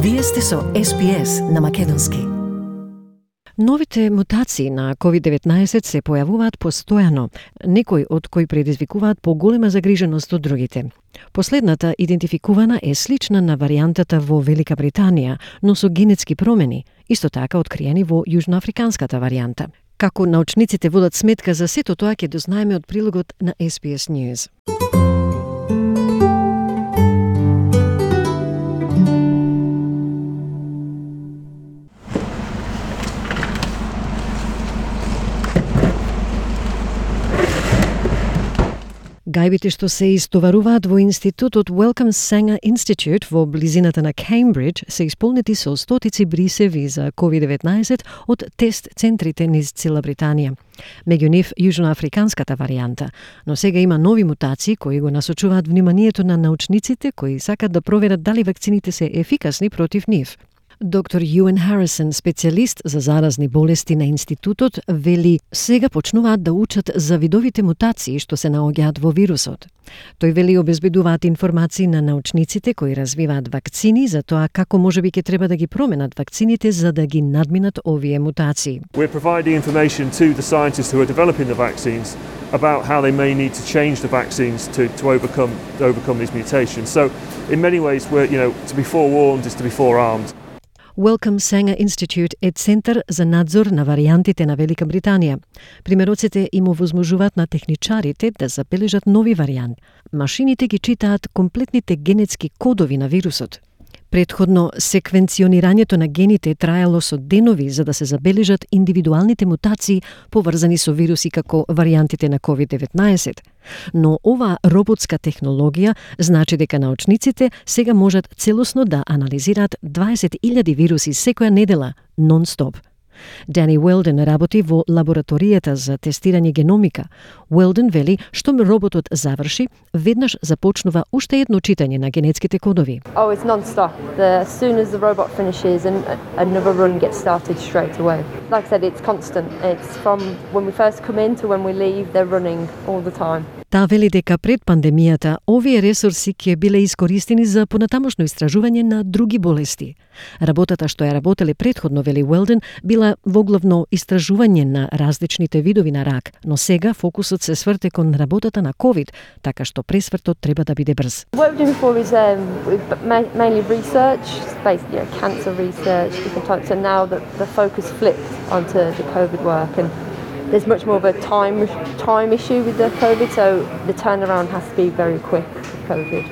Вие сте со SPS на македонски. Новите мутации на COVID-19 се појавуваат постојано, некои од кои предизвикуваат поголема загриженост од другите. Последната идентификувана е слична на варијантата во Велика Британија, но со генетски промени, исто така откриени во јужноафриканската варијанта. Како научниците водат сметка за сето тоа ќе дознаеме од прилогот на SPS News. Гајбите што се истоваруваат во институтот Wellcome Sanger Institute во близината на Кеймбридж се исполнети со стотици брисеви за COVID-19 од тест центрите низ цела Британија. Меѓу нив јужноафриканската варијанта, но сега има нови мутации кои го насочуваат вниманието на научниците кои сакат да проверат дали вакцините се ефикасни против нив. Доктор Юен Харисон, специјалист за заразни болести на институтот, вели сега почнуваат да учат за видовите мутации што се наоѓаат во вирусот. Тој вели обезбедуваат информации на научниците кои развиваат вакцини за тоа како можеби ќе треба да ги променат вакцините за да ги надминат овие мутации. We're providing information to the scientists who are developing the vaccines about how they may need to change the vaccines to overcome these mutations. So in many ways to be forewarned is to be forearmed. Wellcome Sanger Institute е центар за надзор на варијантите на Велика Британија. Примероците им овозможуваат на техничарите да забележат нови варијанти. Машините ги читаат комплетните генетски кодови на вирусот. Предходно, секвенционирањето на гените траело со денови за да се забележат индивидуалните мутации поврзани со вируси како варијантите на COVID-19. Но оваа роботска технологија значи дека научниците сега можат целосно да анализираат 20.000 вируси секоја недела, нон-стоп. Дани Уелден работи во лабораторијата за тестирање геномика. Уелден вели што роботот заврши, веднаш започнува уште едно читање на генетските кодови. Oh, it's non-stop. As soon as the robot finishes and another run gets started straight away. Like I said, it's constant. It's from when we first come in to when we leave, they're running all the time. Таа вели дека пред пандемијата овие ресурси ќе биле искористени за понатамошно истражување на други болести. Работата што ја работеле предходно, вели Уелден, била воглавно истражување на различните видови на рак, но сега фокусот се сврте кон работата на COVID, така што пресвртот треба да биде брз. What we're doing before is mainly research, basically cancer research, different types. So now the focus flipped onto the COVID work and there's much more of a time issue with the COVID, so the turnaround has to be very quick with COVID.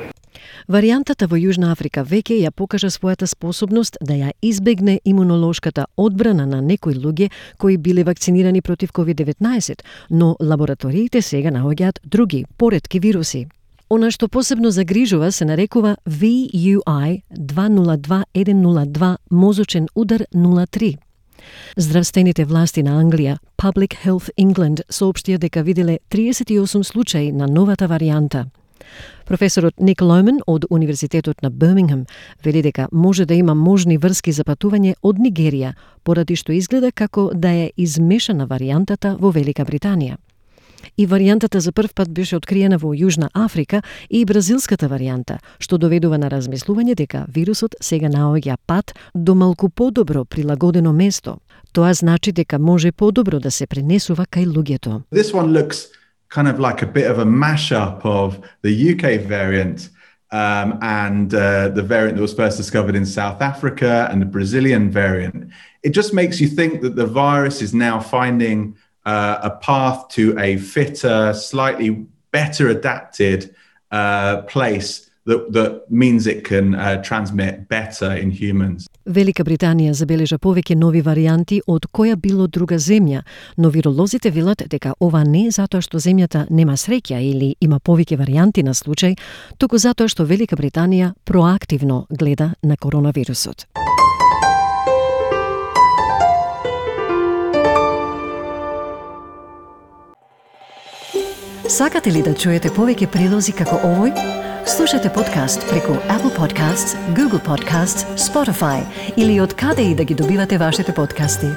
Варијантата во Јужна Африка веќе ја покажа својата способност да ја избегне имунолошката одбрана на некои луѓе кои биле вакцинирани против COVID-19, но лабораториите сега наоѓаат други, поретки вируси. Она што посебно загрижува се нарекува VUI 202102 мозочен удар 03. Здравствените власти на Англија, Public Health England, соопштија дека виделе 38 случаи на новата варијанта. Професорот Ник Лоумен од Универзитетот на Бирмингем вели дека може да има можни врски за патување од Нигерија, поради што изгледа како да е измешана варијантата во Велика Британија. И варијантата за прв пат беше откриена во Јужна Африка и бразилската варијанта, што доведува на размислување дека вирусот сега наоѓа пат до малку подобро прилагодено место. Тоа значи дека може подобро да се пренесува кај луѓето. This one looks kind of like a bit of a mashup of the UK variant and the variant that was first discovered in South Africa and the Brazilian variant. It just makes you think that the virus is now finding a path to a fitter, slightly better adapted place that means it can transmit better in humans. Велика Британија забележа повеќе нови варијанти од која било друга земја, но виролозите велат дека ова не е затоа што земјата нема среќа или има повеќе варијанти на случај, туку затоа што Велика Британија проактивно гледа на коронавирусот. Сакате ли да чуете повеќе прилози како овој? Слушате подкаст преку Apple Podcasts, Google Podcasts, Spotify или од каде и да ги добивате вашите подкасти.